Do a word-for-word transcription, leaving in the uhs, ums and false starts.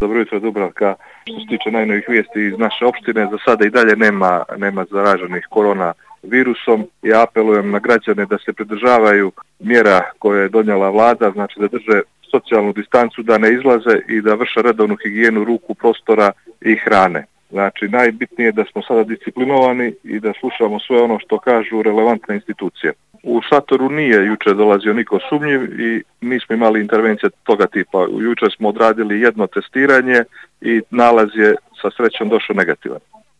Dobro jutro, Dubravka. Što se tiče najnovih vijesti iz naše opštine, za sada i dalje nema, nema zaraženih korona virusom. Ja apelujem na građane da se pridržavaju mjera koje je donijela vlada, znači da drže socijalnu distancu, da ne izlaze i da vrše redovnu higijenu ruku, prostora i hrane. Znači, najbitnije je da smo sada disciplinovani i da slušamo sve ono što kažu relevantne institucije. U šatoru nije jučer dolazio niko sumnjiv i nismo imali intervencije toga tipa. Jučer smo odradili jedno testiranje i nalaz je sa srećom došao negativan.